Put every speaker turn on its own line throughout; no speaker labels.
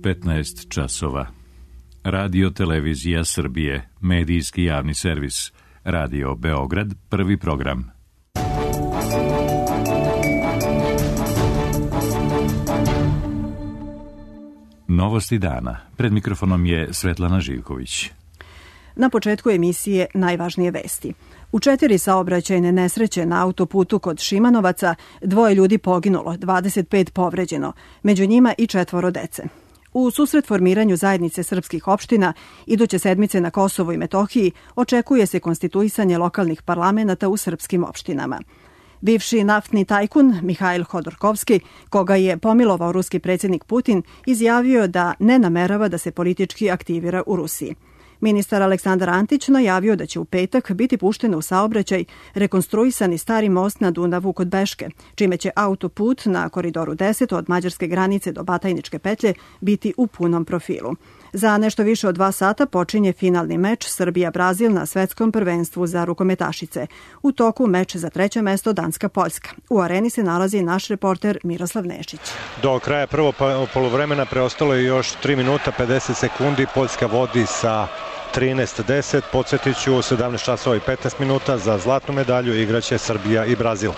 15 časova. Radio Televizija Srbije, medijski javni servis. Radio Beograd, prvi program. Novosti dana. Pred mikrofonom je Svetlana Živković.
Na početku emisije najvažnije vesti. U 4 saobraćajne nesreće na autoputu kod Šimanovaca 2 ljudi poginulo, 25 povređeno, među njima i 4 dece. U susret formiranju zajednice srpskih opština iduće sedmice na Kosovu i Metohiji očekuje se konstituisanje lokalnih parlamenata u srpskim opštinama. Bivši naftni tajkun Mihajl Hodorkovski, koga je pomilovao ruski predsjednik Putin, izjavio da ne namerava da se politički aktivira u Rusiji. Ministar Aleksandar Antić najavio da će u petak biti pušten u saobraćaj rekonstruisani stari most na Dunavu kod Beške, čime će autoput na koridoru 10 od mađarske granice do Batajničke petlje biti u punom profilu. Za nešto više od 2 sata počinje finalni meč Srbija-Brazil na svetskom prvenstvu za rukometašice. U toku meč za 3. mesto Danska-Poljska. U areni se nalazi naš reporter Miroslav Nešić.
Do kraja prvog poluvremena preostalo je još 3 minuta 50 sekundi. Poljska vodi sa 13-10. Podsjetiću, 17 časova i 15 minuta za zlatnu medalju igraće Srbija i Brazil.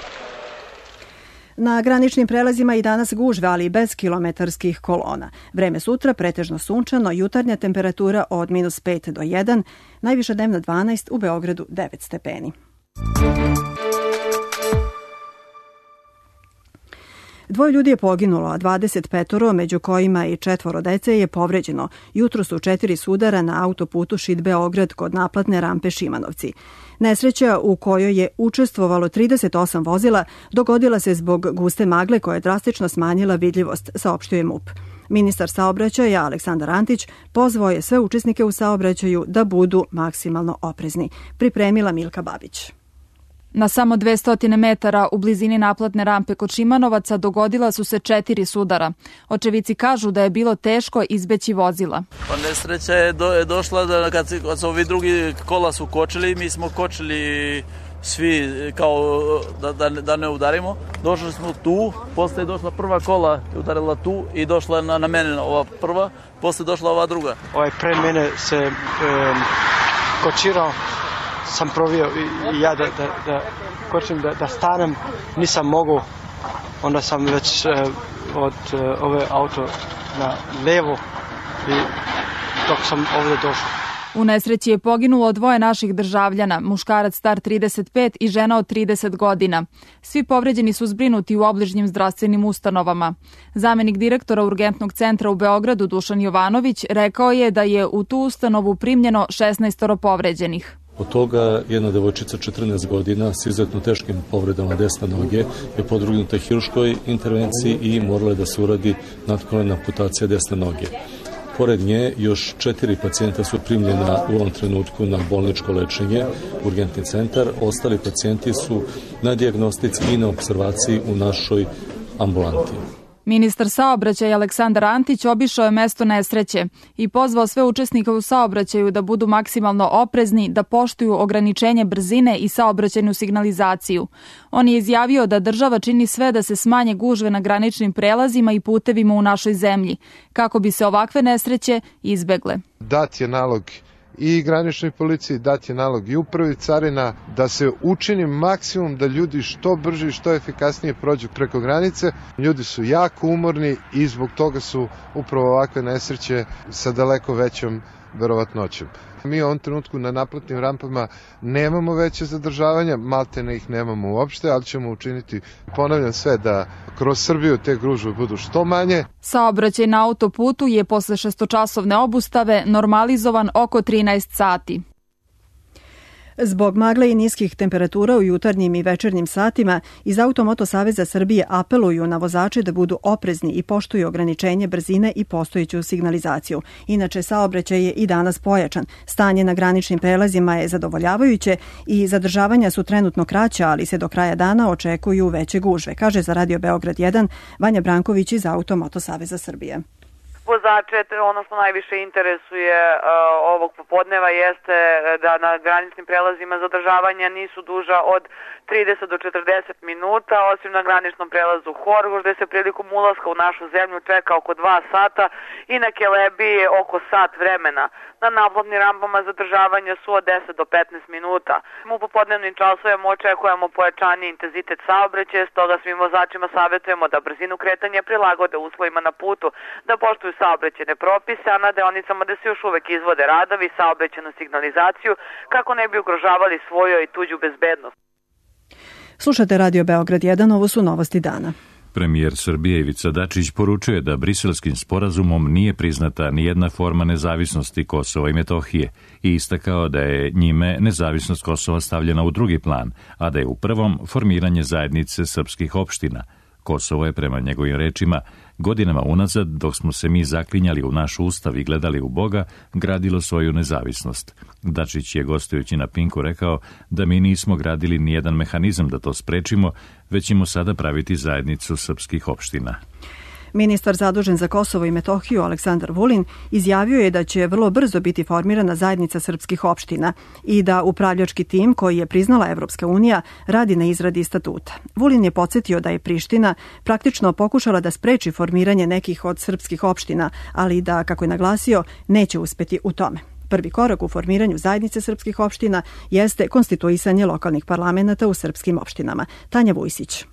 Na graničnim prelazima i danas gužve, ali bez kilometarskih kolona. Vreme sutra pretežno sunčano, jutarnja temperatura od -5 do 1, najviša dnevna 12, u Beogradu 9 stepeni. Dvoje ljudi je poginulo, a 25, među kojima i 4 dece, je povređeno. Jutros su 4 sudara na autoputu Šid-Beograd kod naplatne rampe Šimanovci. Nesreća u kojoj je učestvovalo 38 vozila dogodila se zbog guste magle koja je drastično smanjila vidljivost, saopštio je MUP. Ministar saobraćaja Aleksandar Antić pozvao je sve učesnike u saobraćaju da budu maksimalno oprezni. Pripremila Milka Babić.
Na samo 200 metara u blizini naplatne rampe kod Šimanovaca dogodila su se 4 sudara. Očevici kažu da je bilo teško izbeći vozila.
Pa nesreća je došla da kad su ovi drugi kola su kočili, mi smo kočili svi kao da ne udarimo. Došli smo tu, posle je došla prva kola, udarila tu i došla na mene ova prva, posle došla ova druga.
Pre mene se kočirao. Sam provio i ja da kočim, da stanem, nisam mogu, onda sam već od ove auto na levo i dok sam ovdje došao.
U nesreći je poginulo 2 naših državljana, muškarac star 35 i žena od 30 godina. Svi povređeni su zbrinuti u obližnjim zdravstvenim ustanovama. Zamenik direktora Urgentnog centra u Beogradu Dušan Jovanović rekao je da je u tu ustanovu primljeno 16 povređenih.
Od toga jedna devojčica 14 godina s izuzetno teškim povredama desne noge je podvrgnuta hirurškoj intervenciji i morala je da se uradi natkolena amputacija desne noge. Pored nje još 4 pacijenta su primljena u ovom trenutku na bolničko lečenje, urgentni centar. Ostali pacijenti su na dijagnostici i na observaciji u našoj ambulanti.
Ministar saobraćaja Aleksandar Antić obišao je mesto nesreće i pozvao sve učesnike u saobraćaju da budu maksimalno oprezni, da poštuju ograničenje brzine i saobraćajnu signalizaciju. On je izjavio da država čini sve da se smanje gužve na graničnim prelazima i putevima u našoj zemlji, kako bi se ovakve nesreće izbegle.
Dat je nalog i graničnoj policiji, dat je nalog i upravi carina da se učini maksimum da ljudi što brže i što efikasnije prođu preko granice. Ljudi su jako umorni i zbog toga su upravo ovakve nesreće sa daleko većom verovatnoćom. Mi u ovom trenutku na naplatnim rampama nemamo veće zadržavanja, maltene ih nemamo uopšte, ali ćemo učiniti, ponavljam, sve da kroz Srbiju te gužve budu što manje.
Saobraćaj na autoputu je posle 6-časovne obustave normalizovan oko 13 sati.
Zbog magle i niskih temperatura u jutarnjim i večernjim satima iz Automoto Saveza Srbije apeluju na vozače da budu oprezni i poštuju ograničenje brzine i postojeću signalizaciju. Inače, saobraćaj je i danas pojačan. Stanje na graničnim prelazima je zadovoljavajuće i zadržavanja su trenutno kraća, ali se do kraja dana očekuju veće gužve, kaže za Radio Beograd 1 Vanja Branković iz Automoto Saveza Srbije.
vozače. Ono što najviše interesuje ovog popodneva jeste da na graničnim prelazima zadržavanja nisu duža od 30 do 40 minuta, osim na graničnom prelazu Horgoš, gde se prilikom ulaska u našu zemlju čeka oko 2 sata i na Kelebiji oko sat vremena. Na naplatnim rampama zadržavanja su od 10 do 15 minuta. U popodnevnim časovima očekujemo pojačani intenzitet saobraćaja, stoga svim vozačima savjetujemo da brzinu kretanja prilagode uslovima na putu, da poštuju saobraćajne propise, a na deonicama gde se još uvek izvode radovi i saobraćajnu signalizaciju kako ne bi ugrožavali svoju i tuđu bezbednost.
Slušate Radio Beograd 1, ovo su novosti dana.
Premijer Srbije Ivica Dačić poručuje da Briselskim sporazumom nije priznata nijedna forma nezavisnosti Kosova i Metohije i istakao da je njime nezavisnost Kosova stavljena u drugi plan, a da je u prvom formiranje zajednice srpskih opština. Kosovo je, prema njegovim rečima, godinama unazad, dok smo se mi zaklinjali u naš ustav i gledali u Boga, gradilo svoju nezavisnost. Dačić je, gostujući na Pinku, rekao da mi nismo gradili nijedan mehanizam da to sprečimo, već ćemo sada praviti zajednicu srpskih opština.
Ministar zadužen za Kosovo i Metohiju Aleksandar Vulin izjavio je da će vrlo brzo biti formirana zajednica srpskih opština i da upravljački tim koji je priznala Evropska unija radi na izradi statuta. Vulin je podsjetio da je Priština praktično pokušala da spreči formiranje nekih od srpskih opština, ali da, kako je naglasio, neće uspeti u tome. Prvi korak u formiranju zajednice srpskih opština jeste konstituisanje lokalnih parlamenata u srpskim opštinama. Tanja Vujsić.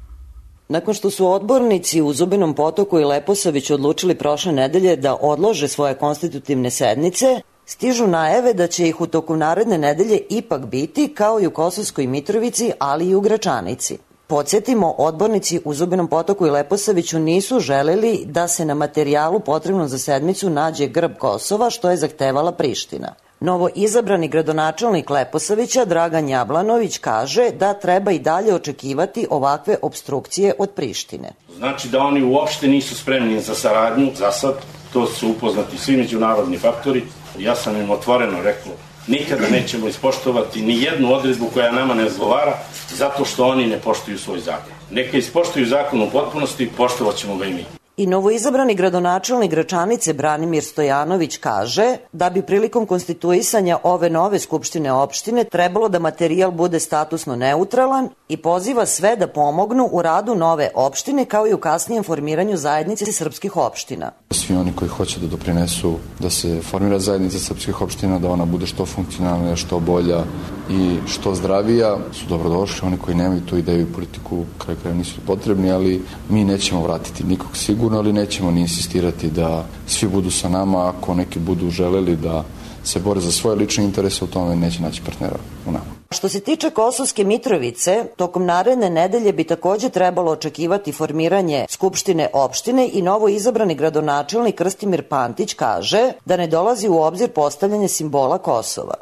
Nakon što su odbornici u Zubinom Potoku i Leposaviću odlučili prošle nedelje da odlože svoje konstitutivne sednice, stižu najave da će ih u toku naredne nedelje ipak biti, kao i u Kosovskoj Mitrovici, ali i u Gračanici. Podsjetimo, odbornici u Zubinom Potoku i Leposaviću nisu želeli da se na materijalu potrebnom za sedmicu nađe grb Kosova, što je zahtevala Priština. Novo izabrani gradonačelnik Leposavića, Dragan Jablanović, kaže da treba i dalje očekivati ovakve opstrukcije od Prištine.
Znači da oni uopšte nisu spremni za saradnju, za sad, to su upoznati svi međunarodni faktori. Ja sam im otvoreno rekao, nikada nećemo ispoštovati ni jednu odredbu koja nama ne odgovara, zato što oni ne poštuju svoj zakon. Neka ispoštuju zakon u potpunosti, poštovat ćemo ga i mi.
I novoizabrani gradonačelnik Gračanice Branimir Stojanović kaže da bi prilikom konstituisanja ove nove skupštine opštine trebalo da materijal bude statusno neutralan i poziva sve da pomognu u radu nove opštine kao i u kasnijem formiranju zajednice srpskih opština.
Svi oni koji hoće da doprinesu da se formira zajednica srpskih opština, da ona bude što funkcionalnija, što bolja i što zdravija, su dobrodošli. Oni koji nemaju tu ideju i politiku, kraj kraja nisu potrebni, ali mi nećemo vratiti nikog sigurno, ali nećemo ni insistirati da svi budu sa nama. Ako neki budu želeli da se bore za svoje lične interese, u tome neće naći partnera u nama.
Što se tiče Kosovske Mitrovice, tokom naredne nedelje bi takođe trebalo očekivati formiranje skupštine opštine i novo izabrani gradonačelnik Krstimir Pantić kaže da ne dolazi u obzir postavljanje simbola Kosova.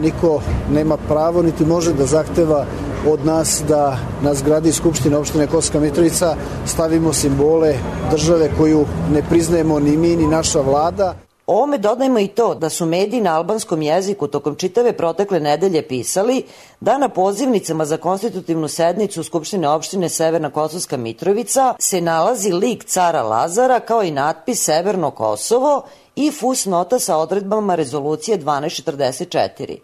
Niko nema pravo niti može da zahteva od nas da na zgradi Skupštine opštine Kosovska Mitrovica stavimo simbole države koju ne priznajemo ni mi ni naša vlada.
Ovome dodajmo i to da su mediji na albanskom jeziku tokom čitave protekle nedelje pisali da na pozivnicama za konstitutivnu sednicu Skupštine opštine Severna Kosovska Mitrovica se nalazi lik cara Lazara kao i natpis Severno Kosovo i fusnota sa odredbama rezolucije 1244.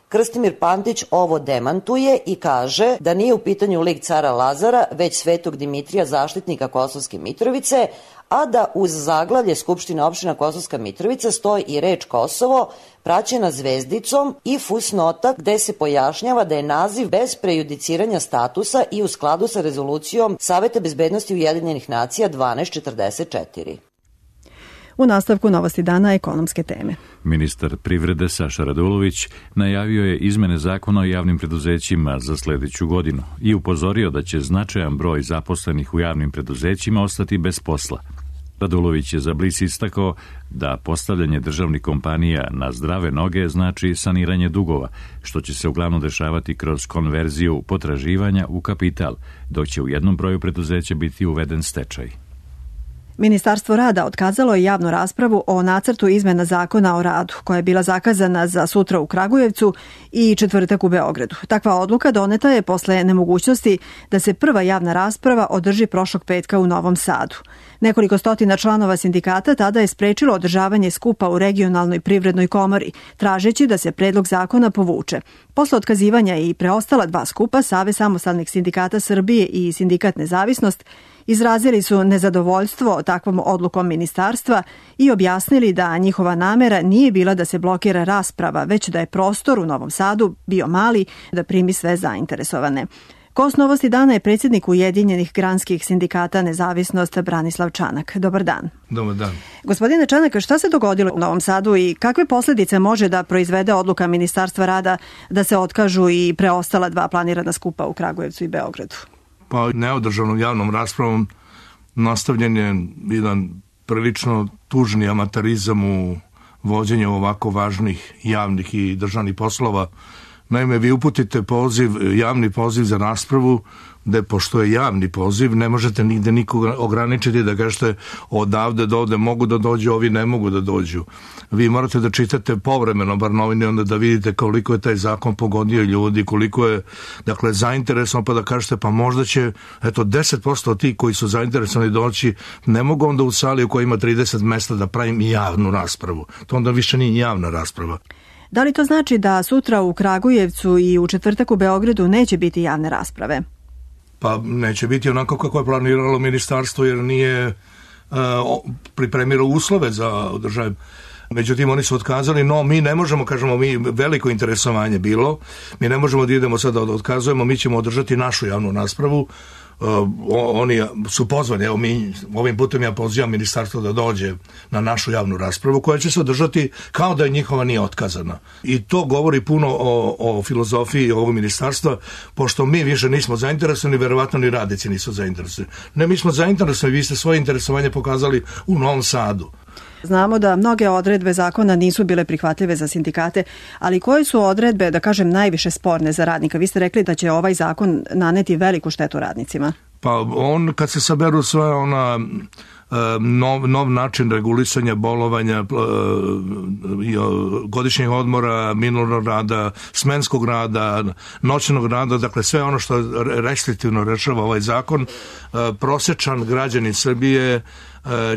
Krstimir Pantić ovo demantuje i kaže da nije u pitanju lik cara Lazara, već Svetog Dimitrija, zaštitnika Kosovske Mitrovice, a da uz zaglavlje Skupštine opština Kosovska Mitrovica stoji i reč Kosovo, praćena zvezdicom i fusnota gde se pojašnjava da je naziv bez prejudiciranja statusa i u skladu sa rezolucijom Saveta bezbednosti Ujedinjenih nacija 1244.
U nastavku novosti dana ekonomske teme.
Ministar privrede Saša Radulović najavio je izmene zakona o javnim preduzećima za sledeću godinu i upozorio da će značajan broj zaposlenih u javnim preduzećima ostati bez posla. Radulović je za Blic istakao da postavljanje državnih kompanija na zdrave noge znači saniranje dugova, što će se uglavnom dešavati kroz konverziju potraživanja u kapital, dok će u jednom broju preduzeća biti uveden stečaj.
Ministarstvo rada otkazalo je javnu raspravu o nacrtu izmena zakona o radu, koja je bila zakazana za sutra u Kragujevcu i četvrtak u Beogradu. Takva odluka doneta je posle nemogućnosti da se prva javna rasprava održi prošlog petka u Novom Sadu. Nekoliko stotina članova sindikata tada je sprečilo održavanje skupa u regionalnoj privrednoj komori, tražeći da se predlog zakona povuče. Posle otkazivanja i preostala dva skupa, Savez samostalnih sindikata Srbije i Sindikat Nezavisnost izrazili su nezadovoljstvo takvom odlukom ministarstva i objasnili da njihova namera nije bila da se blokira rasprava, već da je prostor u Novom Sadu bio mali da primi sve zainteresovane. Gost Novosti dana je predsjednik Ujedinjenih granskih sindikata Nezavisnost Branislav Čanak. Dobar dan.
Dobar dan.
Gospodine Čanak, šta se dogodilo u Novom Sadu i kakve posljedice može da proizvede odluka Ministarstva rada da se otkažu i preostala dva planirana skupa u Kragujevcu i Beogradu?
Pa neodržanom javnom raspravom nastavljen je jedan prilično tužni amaterizam u vođenju ovako važnih javnih i državnih poslova. Naime, vi uputite javni poziv za raspravu, gde pošto je javni poziv, ne možete nigde nikoga ograničiti da kažete odavde do ovde mogu da dođu, ovi ne mogu da dođu. Vi morate da čitate povremeno bar novine, onda da vidite koliko je taj zakon pogodio ljudi, koliko je zainteresovan, pa da kažete pa možda će 10% od tih koji su zainteresovani doći, ne mogu onda u sali u kojoj ima 30 mesta da pravim javnu raspravu. To onda više nije javna rasprava.
Da li to znači da sutra u Kragujevcu i u četvrtak u Beogradu neće biti javne rasprave?
Pa neće biti onako kako je planiralo ministarstvo, jer nije pripremilo uslove za održavanje. Međutim, oni su otkazali, no mi ne možemo, kažemo mi, veliko interesovanje bilo, mi ne možemo da idemo sada da otkazujemo, mi ćemo održati našu javnu raspravu. Oni su pozvani, evo mi ovim putem ja pozivam ministarstvo da dođe na našu javnu raspravu koja će se održati kao da je njihova nije otkazana. I to govori puno o filozofiji ovog ministarstva, pošto mi više nismo zainteresovani, verovatno ni radnici nisu zainteresovani. Ne, mi smo zainteresovani, vi ste svoje interesovanje pokazali u Novom Sadu.
Znamo da mnoge odredbe zakona nisu bile prihvatljive za sindikate, ali koje su odredbe, da kažem, najviše sporne za radnika? Vi ste rekli da će ovaj zakon naneti veliku štetu radnicima.
Pa on, kad se saberu sve nov način regulisanja bolovanja, godišnjeg odmora, minulog rada, smenskog rada, noćnog rada, dakle sve ono što restriktivno rešava ovaj zakon, prosečan građanin Srbije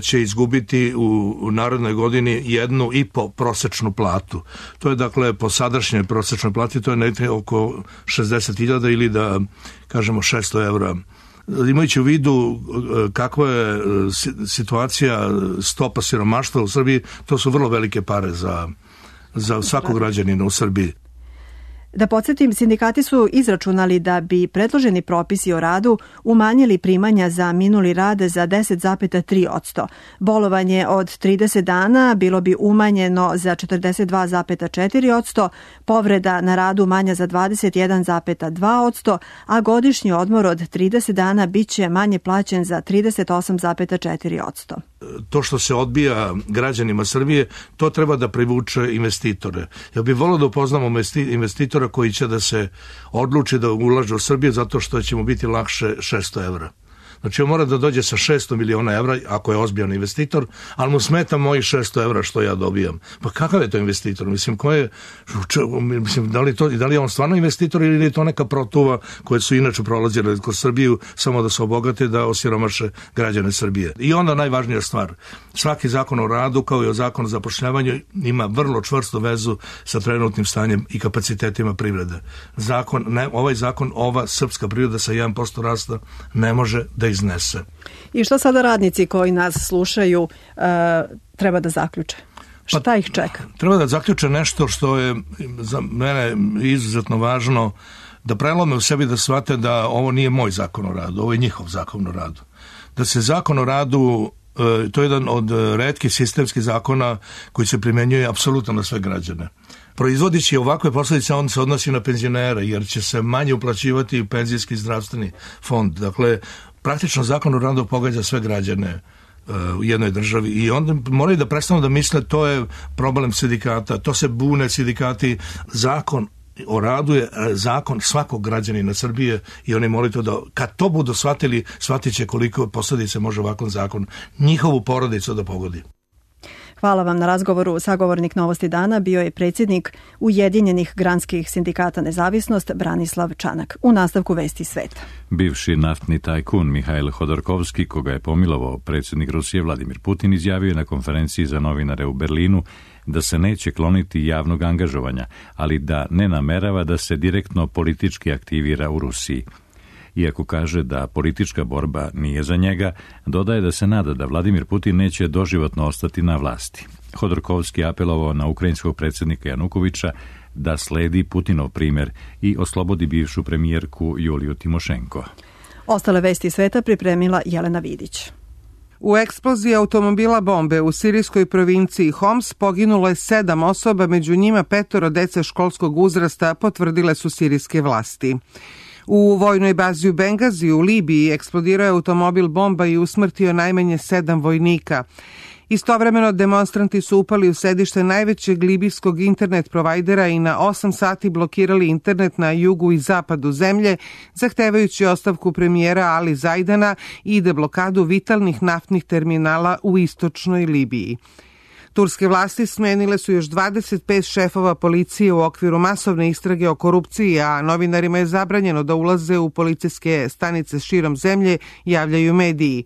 će izgubiti u narednoj godini 1,5 prosečnu platu. To je dakle po sadašnjoj prosečnoj plati, to je nekde oko 60.000 ili da kažemo 600 evra. Imajući u vidu kakva je situacija stopa siromaštva u Srbiji, to su vrlo velike pare za svakog građanina u Srbiji.
Da podsjetim, sindikati su izračunali da bi predloženi propisi o radu umanjili primanja za minuli rad za 10,3%. Bolovanje od 30 dana bilo bi umanjeno za 42,4%, povreda na radu manja za 21,2%, a godišnji odmor od 30 dana bit će manje plaćen za 38,4%.
To što se odbija građanima Srbije, to treba da privuče investitore. Ja bih volio da upoznamo investitora koji će da se odluči da ulaže u Srbiju zato što će mu biti lakše 600 evra. Znači on mora da dođe sa 600 miliona evra ako je ozbiljan investitor, ali mu smeta mojih 600 evra što ja dobijam. Pa kakav je to investitor? Mislim, da li je on stvarno investitor ili je to neka protuva koje su inače prolazile kroz Srbiju samo da se obogate, da osiromaše građane Srbije. I onda najvažnija stvar, svaki zakon o radu kao i o zakonu o zapošljavanju ima vrlo čvrstu vezu sa trenutnim stanjem i kapacitetima privrede. Ovaj zakon, ova srpska privreda sa 1% rasta ne može da iznese.
I što sada radnici koji nas slušaju treba da zaključe? Šta ih čeka?
Treba da zaključe nešto što je za mene izuzetno važno, da prelome u sebi, da shvate da ovo nije moj zakon o radu, ovo je njihov zakon o radu. Da se zakon o radu, to je jedan od retkih sistemskih zakona koji se primenjuje apsolutno na sve građane. Proizvodići ovakve posljedice, on se odnosi na penzionere, jer će se manje uplaćivati u penzijski i zdravstveni fond. Dakle, praktično zakon o radu pogađa sve građane u jednoj državi i onda moraju da prestanu da misle to je problem sindikata, to se bune sindikati. Zakon o radu je zakon svakog građanina Srbije i oni molite da kad to budu shvatili, shvatit će koliko posljedice može ovakvom zakon njihovu porodicu da pogodi.
Hvala vam na razgovoru. Sagovornik Novosti dana bio je predsjednik Ujedinjenih granskih sindikata Nezavisnost Branislav Čanak. U nastavku Vesti sveta.
Bivši naftni tajkun Mihail Hodorkovski, koga je pomilovao predsjednik Rusije Vladimir Putin, izjavio je na konferenciji za novinare u Berlinu da se neće kloniti javnog angažovanja, ali da ne namerava da se direktno politički aktivira u Rusiji. Iako kaže da politička borba nije za njega, dodaje da se nada da Vladimir Putin neće doživotno ostati na vlasti. Hodorkovski apelovao na ukrajinskog predsjednika Janukovića da sledi Putinov primjer i oslobodi bivšu premijerku Juliju Timošenko.
Ostale vesti sveta pripremila Jelena Vidić.
U eksploziji automobila bombe u sirijskoj provinciji Homs poginulo je 7 osoba, među njima 5 dece školskog uzrasta, potvrdile su sirijske vlasti. U vojnoj bazi u Bengazi u Libiji eksplodirao je automobil bomba i usmrtio najmanje 7 vojnika. Istovremeno demonstranti su upali u sedište najvećeg libijskog internet provajdera i na 8 sati blokirali internet na jugu i zapadu zemlje, zahtevajući ostavku premijera Ali Zajdana i deblokadu vitalnih naftnih terminala u istočnoj Libiji. Turske vlasti smenile su još 25 šefova policije u okviru masovne istrage o korupciji, a novinarima je zabranjeno da ulaze u policijske stanice širom zemlje, javljaju mediji.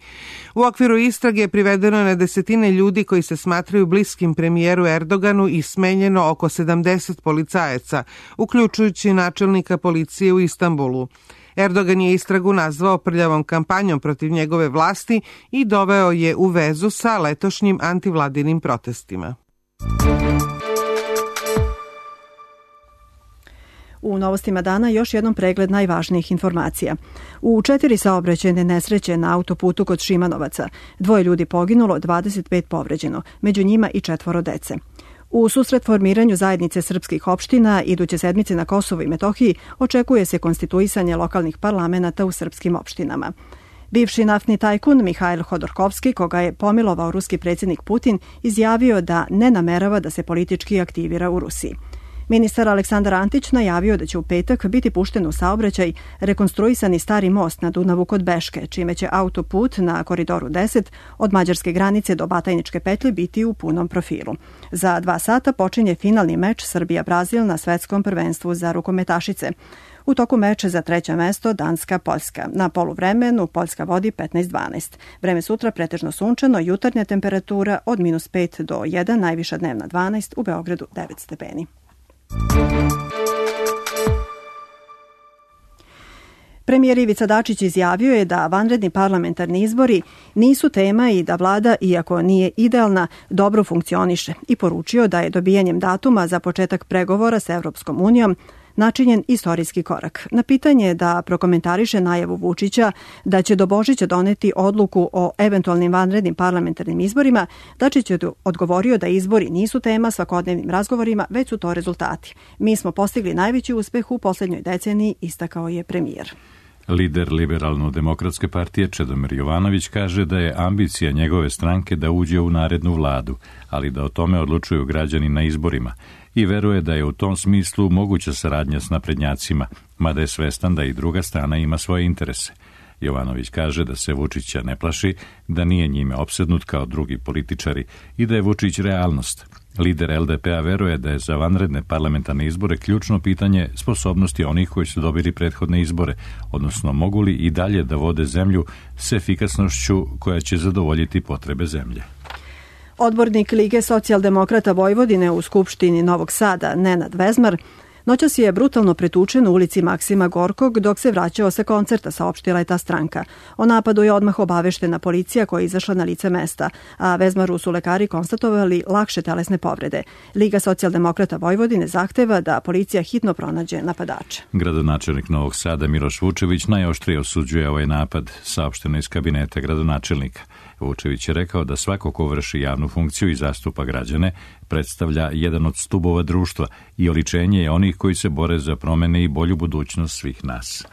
U okviru istrage je privedeno na desetine ljudi koji se smatraju bliskim premijeru Erdoganu i smenjeno oko 70 policajaca, uključujući načelnika policije u Istanbulu. Erdogan je istragu nazvao prljavom kampanjom protiv njegove vlasti i doveo je u vezu sa letošnjim antivladinim protestima.
U novostima dana još jednom pregled najvažnijih informacija. U 4 saobraćajne nesreće na autoputu kod Šimanovaca 2 ljudi poginulo, 25 povređeno, među njima i 4 dece. U susret formiranju zajednice srpskih opština iduće sedmice na Kosovu i Metohiji očekuje se konstituisanje lokalnih parlamenata u srpskim opštinama. Bivši naftni tajkun Mihail Hodorkovski, koga je pomilovao ruski predsjednik Putin, izjavio da ne namerava da se politički aktivira u Rusiji. Ministar Aleksandar Antić najavio da će u petak biti pušten u saobraćaj rekonstruisani stari most na Dunavu kod Beške, čime će autoput na koridoru 10 od mađarske granice do Batajničke petlje biti u punom profilu. Za 2 sata počinje finalni meč Srbija-Brazil na svetskom prvenstvu za rukometašice. U toku meča za 3. mesto Danska-Poljska. Na poluvremenu Poljska vodi 15-12. Vreme sutra pretežno sunčano, jutarnja temperatura od -5 do 1, najviša dnevna 12, u Beogradu 9 stepeni. Premijer Ivica Dačić izjavio je da vanredni parlamentarni izbori nisu tema i da vlada, iako nije idealna, dobro funkcioniše i poručio da je dobijanjem datuma za početak pregovora sa Evropskom unijom načinjen istorijski korak. Na pitanje da prokomentariše najavu Vučića da će do Božića doneti odluku o eventualnim vanrednim parlamentarnim izborima, Dačić je odgovorio da izbori nisu tema svakodnevnim razgovorima, već su to rezultati. Mi smo postigli najveći uspeh u posljednjoj deceniji, istakao je premijer.
Lider Liberalno-demokratske partije Čedomir Jovanović kaže da je ambicija njegove stranke da uđe u narednu vladu, ali da o tome odlučuju građani na izborima i veruje da je u tom smislu moguća saradnja s naprednjacima, mada je svestan da i druga strana ima svoje interese. Jovanović kaže da se Vučića ne plaši, da nije njime opsednut kao drugi političari i da je Vučić realnost. Lider LDP-a veruje da je za vanredne parlamentarne izbore ključno pitanje sposobnosti onih koji su dobili prethodne izbore, odnosno mogu li i dalje da vode zemlju s efikasnošću koja će zadovoljiti potrebe zemlje.
Odbornik Lige socijaldemokrata Vojvodine u Skupštini Novog Sada, Nenad Vezmar, noćas je brutalno pretučen u ulici Maksima Gorkog dok se vraćao sa koncerta, saopštila je ta stranka. O napadu je odmah obaveštena policija koja je izašla na lice mesta, a Vezmaru su lekari konstatovali lakše telesne povrede. Liga socijaldemokrata Vojvodine zahteva da policija hitno pronađe napadače.
Gradonačelnik Novog Sada Miloš Vučević najoštrije osuđuje ovaj napad, saopšteno iz kabineta gradonačelnika. Vučević je rekao da svako ko vrši javnu funkciju i zastupa građane predstavlja jedan od stubova društva i oličenje je onih koji se bore za promene i bolju budućnost svih nas.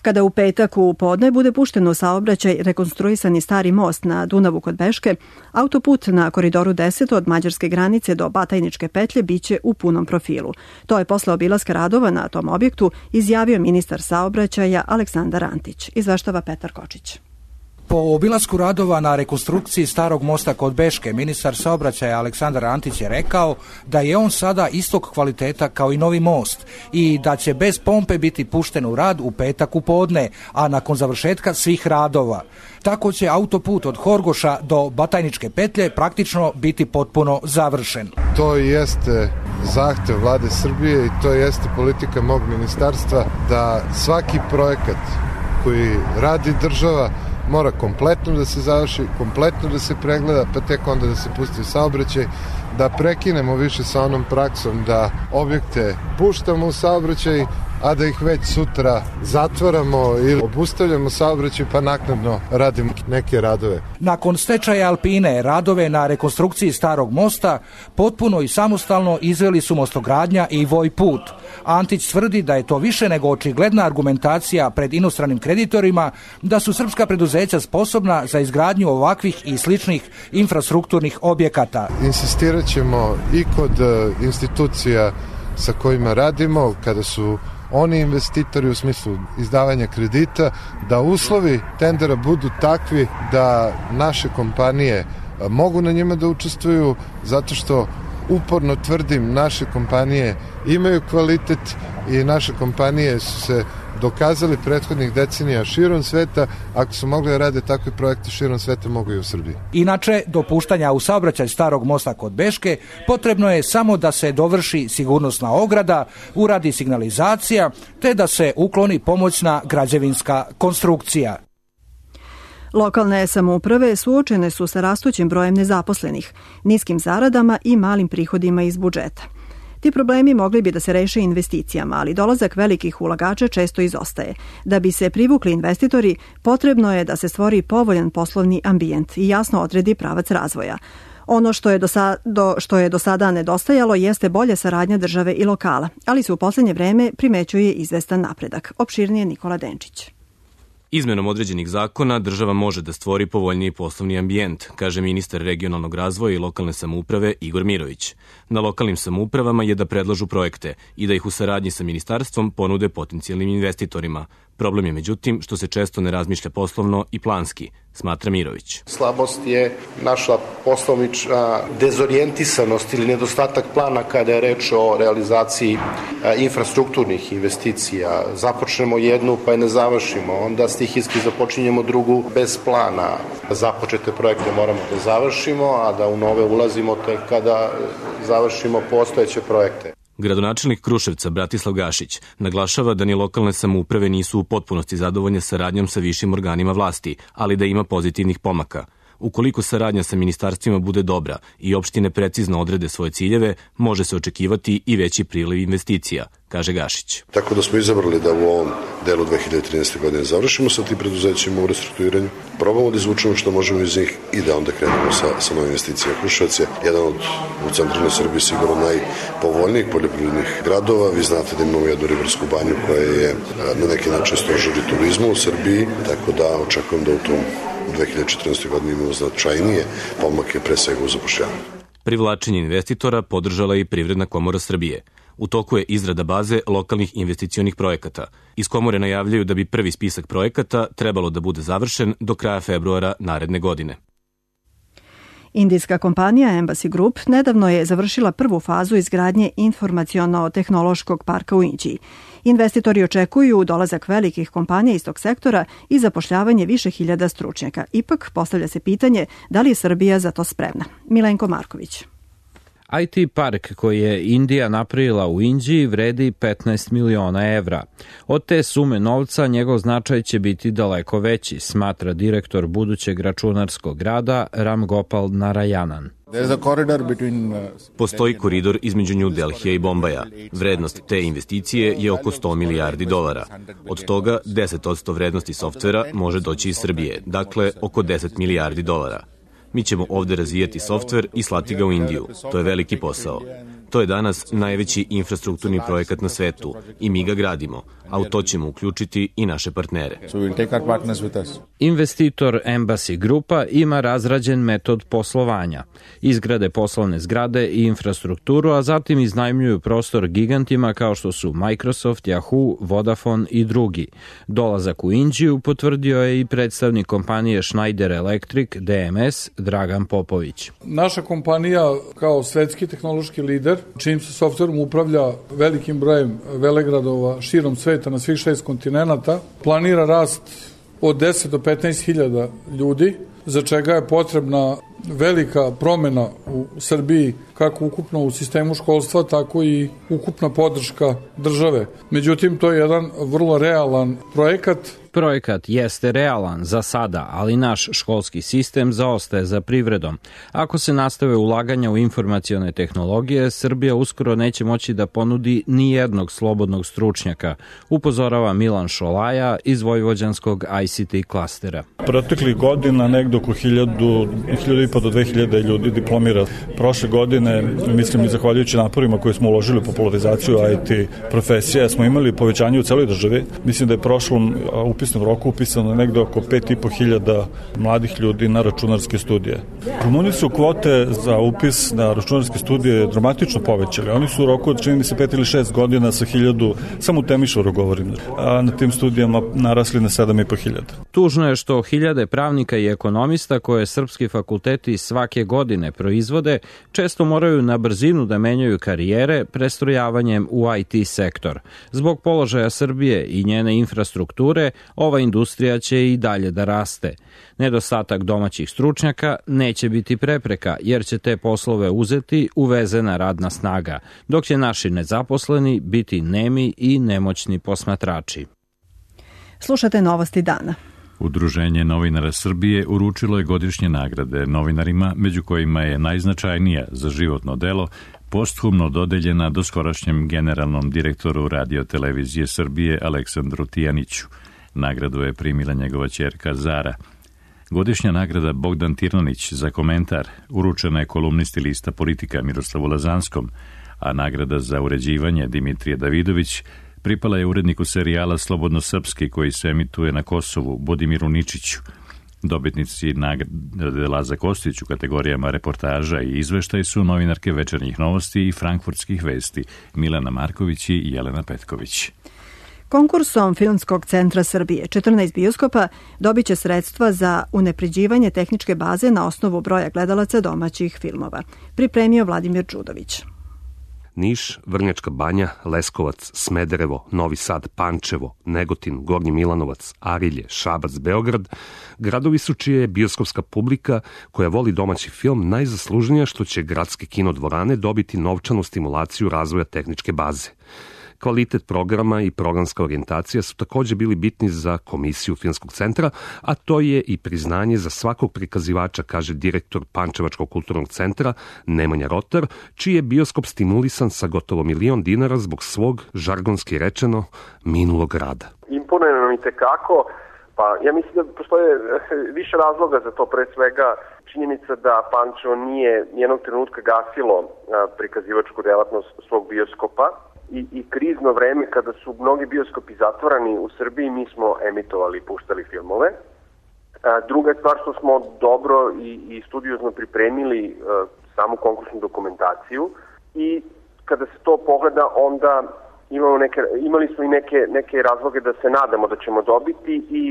Kada u petak u podne bude pušten u saobraćaj rekonstruisani stari most na Dunavu kod Beške, autoput na koridoru 10 od mađarske granice do Batajničke petlje biće u punom profilu. To je posle obilaska radova na tom objektu izjavio ministar saobraćaja Aleksandar Antić. Izveštava Petar Kočić.
Po obilasku radova na rekonstrukciji starog mosta kod Beške, ministar saobraćaja Aleksandar Antić je rekao da je on sada istog kvaliteta kao i novi most i da će bez pompe biti pušten u rad u petak u podne, a nakon završetka svih radova. Tako će autoput od Horgoša do Batajničke petlje praktično biti potpuno završen.
To jeste zahtev vlade Srbije i to jeste politika mog ministarstva da svaki projekat koji radi država mora kompletno da se završi, kompletno da se pregleda, pa tek onda da se pusti u saobraćaj, da prekinemo više sa onom praksom da objekte puštamo u saobraćaj, a da ih već sutra zatvaramo ili obustavljamo saobraćaj pa naknadno radimo neke radove.
Nakon stečaja Alpine, radove na rekonstrukciji starog mosta potpuno i samostalno izveli su Mostogradnja i Vojput. Antić tvrdi da je to više nego očigledna argumentacija pred inostranim kreditorima da su srpska preduzeća sposobna za izgradnju ovakvih i sličnih infrastrukturnih objekata.
Insistirat ćemo i kod institucija sa kojima radimo, kada su oni investitori u smislu izdavanja kredita, da uslovi tendera budu takvi da naše kompanije mogu na njima da učestvuju, zato što uporno tvrdim, naše kompanije imaju kvalitet i naše kompanije su se dokazali prethodnih decenija širom sveta. Ako su mogli da rade takve projekte širom sveta, mogu i u Srbiji.
Inače, do puštanja u saobraćaj starog mosta kod Beške potrebno je samo da se dovrši sigurnosna ograda, uradi signalizacija, te da se ukloni pomoćna građevinska konstrukcija.
Lokalne samouprave suočene su sa rastućim brojem nezaposlenih, niskim zaradama i malim prihodima iz budžeta. Ti problemi mogli bi da se reše investicijama, ali dolazak velikih ulagača često izostaje. Da bi se privukli investitori, potrebno je da se stvori povoljan poslovni ambijent i jasno odredi pravac razvoja. Ono što je do sada nedostajalo jeste bolja saradnja države i lokala, ali se u poslednje vreme primećuje izvestan napredak. Opširnije Nikola Denčić.
Izmenom određenih zakona država može da stvori povoljniji poslovni ambijent, kaže ministar regionalnog razvoja i lokalne samouprave Igor Mirović. Na lokalnim samoupravama je da predlažu projekte i da ih u saradnji sa ministarstvom ponude potencijalnim investitorima. Problem je međutim što se često ne razmišlja poslovno i planski, smatra Mirović.
Slabost je naša poslovnička dezorijentisanost ili nedostatak plana kada je reč o realizaciji infrastrukturnih investicija. Započnemo jednu pa je ne završimo, onda stihijski započinjemo drugu bez plana. Započete projekte moramo da završimo, a da u nove ulazimo tek kada završimo postojeće projekte.
Gradonačelnik Kruševca Bratislav Gašić naglašava da ni lokalne samouprave nisu u potpunosti zadovoljne saradnjom sa višim organima vlasti, ali da ima pozitivnih pomaka. Ukoliko saradnja sa ministarstvima bude dobra i opštine precizno odrede svoje ciljeve, može se očekivati i veći priliv investicija, kaže Gašić.
Tako da smo izabrali da u ovom delu 2013. godine završimo sa tim preduzećima u restrukturiranju, probamo da izvučemo što možemo iz njih i da onda krenemo sa novim investicijama. Kruševac je jedan od u centralnoj Srbiji sigurno najpovoljnijih poljoprivrednih gradova. Vi znate da imamo jednu ribarsku banju koja je na neki način stožer turizma u Srbiji, tako da očekujem da u tom 2014. godini imamo značajnije pomake pre svega u zapošljavanju.
Privlačenje investitora podržala je i Privredna komora Srbije. U toku je izrada baze lokalnih investicionih projekata. Iz komore najavljaju da bi prvi spisak projekata trebalo da bude završen do kraja februara naredne godine.
Indijska kompanija Embassy Group nedavno je završila prvu fazu izgradnje informaciono-tehnološkog parka u Indiji. Investitori očekuju dolazak velikih kompanija iz tog sektora i zapošljavanje više hiljada stručnjaka. Ipak postavlja se pitanje da li je Srbija za to spremna. Milenko Marković.
IT park koji je Indija napravila u Indiji vredi 15 miliona evra. Od te sume novca njegov značaj će biti daleko veći, smatra direktor budućeg računarskog grada Ram Gopal Narayanan.
Postoji koridor između New Delhija i Bombaja. Vrednost te investicije je oko 100 milijardi dolara. Od toga 10% vrednosti softvera može doći iz Srbije, dakle oko 10 milijardi dolara. Mi ćemo ovde razvijati softver i slati ga u Indiju. To je veliki posao. To je danas najveći infrastrukturni projekat na svetu i mi ga gradimo, a u to ćemo uključiti i naše partnere.
Investitor Embassy Grupa ima razrađen metod poslovanja. Izgrade poslovne zgrade i infrastrukturu, a zatim iznajmljuju prostor gigantima kao što su Microsoft, Yahoo, Vodafone i drugi. Dolazak u Indiju potvrdio je i predstavnik kompanije Schneider Electric DMS Dragan Popović.
Naša kompanija kao svetski tehnološki lider, čijim se softverom upravlja velikim brojem velegradova širom sveta na svih 6 kontinenata, planira rast od 10 do 15.000 ljudi, za čega je potrebna velika promena u Srbiji, kako ukupno u sistemu školstva, tako i ukupna podrška države. Međutim, to je jedan vrlo realan projekat.
Projekat jeste realan za sada, ali naš školski sistem zaostaje za privredom. Ako se nastave ulaganja u informacione tehnologije, Srbija uskoro neće moći da ponudi ni jednog slobodnog stručnjaka, upozorava Milan Šolaja iz vojvođanskog ICT klastera.
Proteklih godina negde oko 1.500 do 2.000 ljudi diplomira. Prošle godine, mislim i zahvaljujući naporima koje smo uložili u popularizaciju IT profesije, smo imali povećanje u celoj državi. Mislim da je prošlom upisnom roku upisano negde oko 5.500 mladih ljudi na računarske studije. Rumuni su kvote za upis na računarske studije dramatično povećali. Oni su u roku od, čini mi se, 5 ili 6 godina sa 1.000, samo u Temišvaru govorim, a na tim studijama narasli na 7.500.
Tužno je što hiljade pravnika i ekonomista koje srpski fakulteti svake godine proizvode često moraju na brzinu da menjaju karijere prestrojavanjem u IT sektor. Zbog položaja Srbije i njene infrastrukture, ova industrija će i dalje da raste. Nedostatak domaćih stručnjaka neće biti prepreka, jer će te poslove uzeti uvezena radna snaga, dok će naši nezaposleni biti nemi i nemoćni posmatrači.
Slušate Novosti dana.
Udruženje novinara Srbije uručilo je godišnje nagrade novinarima, među kojima je najznačajnija za životno delo posthumno dodeljena doskorašnjem generalnom direktoru Radio-televizije Srbije Aleksandru Tijaniću. Nagradu je primila njegova ćerka Zara. Godišnja nagrada Bogdan Tirnanić za komentar uručena je kolumnisti lista Politika Miroslavu Lazanskom, a nagrada za uređivanje Dimitrije Davidović pripala je uredniku serijala Slobodno srpski koji se emituje na Kosovu, Budimiru Ničiću. Dobitnici nagrade Laza Kostić u kategorijama reportaža i izveštaj su novinarke Večernjih novosti i Frankfurtskih vesti Milana Marković i Jelena Petković.
Konkursom Filmskog centra Srbije 14 bioskopa dobit će sredstva za unapređivanje tehničke baze na osnovu broja gledalaca domaćih filmova. Pripremio Vladimir Đudović.
Niš, Vrnjačka Banja, Leskovac, Smederevo, Novi Sad, Pančevo, Negotin, Gornji Milanovac, Arilje, Šabac, Beograd, gradovi su čija je bioskopska publika koja voli domaći film najzaslužnija što će gradske kinodvorane dobiti novčanu stimulaciju razvoja tehničke baze. Kvalitet programa i programska orijentacija su takođe bili bitni za Komisiju Filmskog centra, a to je i priznanje za svakog prikazivača, kaže direktor Pančevačkog kulturnog centra Nemanja Rotar, čiji je bioskop stimulisan sa gotovo $1.000.000 zbog svog, žargonski rečeno, minulog rada.
Imponuje nam i tekako, pa ja mislim da postoje više razloga za to, pre svega činjenica da Pančevo nije nijednog trenutka gasilo prikazivačku delatnost svog bioskopa, i krizno vreme kada su mnogi bioskopi zatvorani u Srbiji, mi smo emitovali i puštali filmove. Druga stvar što smo dobro i studiozno pripremili samu konkursnu dokumentaciju i kada se to pogleda onda imali smo i neke razloge da se nadamo da ćemo dobiti i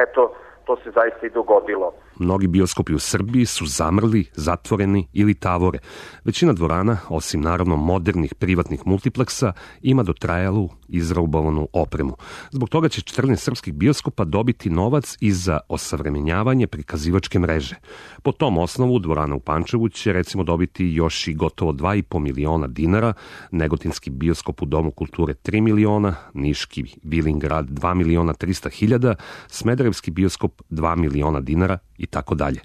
eto, to se zaista i dogodilo.
Mnogi bioskopi u Srbiji su zamrli, zatvoreni ili tavore. Većina dvorana, osim naravno modernih privatnih multipleksa, ima dotrajalu, izraubovanu opremu. Zbog toga će 14 srpskih bioskopa dobiti novac i za osavremenjavanje prikazivačke mreže. Po tom osnovu dvorana u Pančevu će recimo dobiti još i gotovo $2.000.000, Negotinski bioskop u Domu kulture $3 miliona, Niški Vilingrad $2.300.000, Smederevski bioskop $2.000.000 i tako dalje.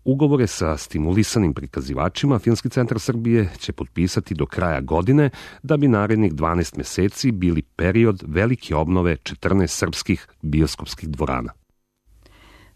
Ugovore sa stimulisanim prikazivačima Filmski centar Srbije će potpisati do kraja godine da bi narednih 12 meseci bili period velike obnove 14 srpskih bioskopskih dvorana.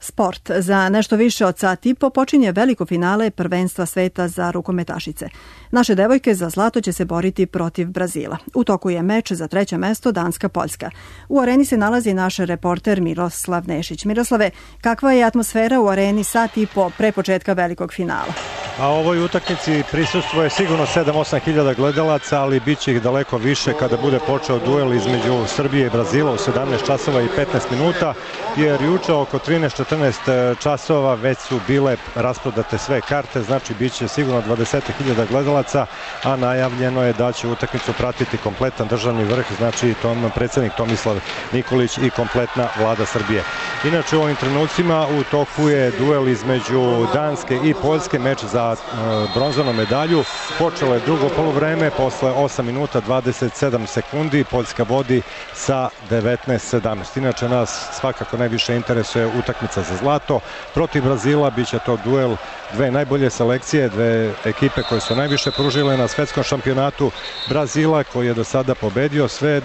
Sport. Za nešto više od sat i po počinje veliko finale prvenstva sveta za rukometašice. Naše devojke za zlato će se boriti protiv Brazila. U toku je meč za treće mesto Danska-Poljska. U areni se nalazi naš reporter Miroslav Nešić. Miroslave, kakva je atmosfera u areni sat i po pre početka velikog finala?
A ovoj utakmici prisustvuje sigurno 7-8 hiljada gledalaca, ali bit će ih daleko više kada bude počeo duel između Srbije i Brazila u 17 časova i 15 minuta, jer juče oko 13-14 časova već su bile rasprodate sve karte, znači bit će sigurno 20.000 gledalaca, a najavljeno je da će utakmicu pratiti kompletan državni vrh, znači predsjednik Tomislav Nikolić i kompletna vlada Srbije. Inače u ovim trenucima u toku je duel između Danske i Poljske, meč za bronzanu medalju. Počelo je drugo poluvreme, posle 8 minuta 27 sekundi, Poljska vodi sa 19-17. Inače nas svakako najviše interesuje utakmica za zlato. Protiv Brazila biće to duel dve najbolje selekcije, dve ekipe koje su najviše pružile na svetskom šampionatu. Brazila koji je do sada pobedio sve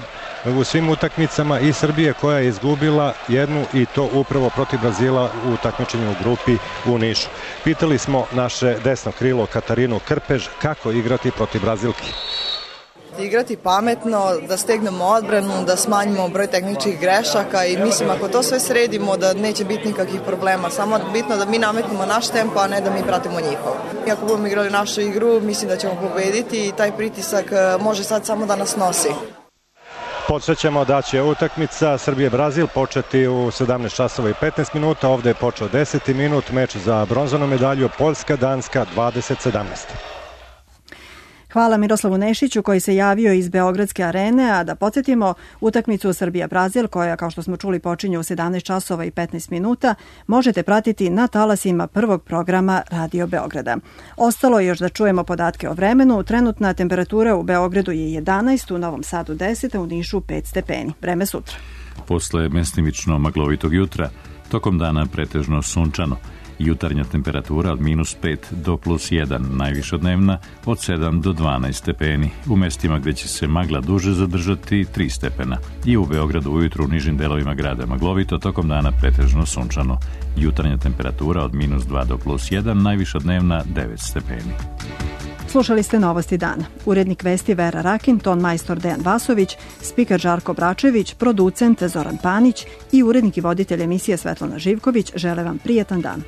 u svim utakmicama i Srbije koja je izgubila jednu i to upravo protiv Brazila u takmičenju u grupi u Nišu. Pitali smo naše desno krilo Katarinu Krpež kako igrati protiv Brazilki.
Igrati pametno, da stegnemo odbranu, da smanjimo broj tehničkih grešaka i mislim ako to sve sredimo da neće biti nikakvih problema. Samo bitno da mi nametnemo naš tempo, a ne da mi pratimo njihov. I ako budemo igrali našu igru, mislim da ćemo pobediti i taj pritisak može sad samo da nas nosi.
Podsjećamo da će utakmica Srbije-Brazil početi u 17 časova i 15 minuta. Ovde je počeo 10. minut, meč za bronzanu medalju Poljska-Danska 2017.
Hvala Miroslavu Nešiću koji se javio iz Beogradske arene, a da podsjetimo utakmicu Srbija-Brazil koja, kao što smo čuli, počinje u 17 časova i 15 minuta, možete pratiti na talasima prvog programa Radio Beograda. Ostalo je još da čujemo podatke o vremenu. Trenutna temperatura u Beogradu je 11, u Novom Sadu 10, a u Nišu 5 stepeni. Vreme sutra.
Posle mestimično maglovitog jutra, tokom dana pretežno sunčano. Jutarnja temperatura od -5 do +1, najvišodnevna od 7 do 12 stepeni. U mestima gde će se magla duže zadržati 3 stepena. I u Beogradu ujutru u nižim delovima grada maglovito, tokom dana pretežno sunčano. Jutarnja temperatura od -2 do +1, najvišodnevna 9 stepeni.
Slušali ste Novosti dana. Urednik vesti Vera Rakin, ton majstor Dejan Vasović, spiker Žarko Bračević, producent Zoran Panić i urednik i voditelj emisije Svetlana Živković žele vam prijetan dan.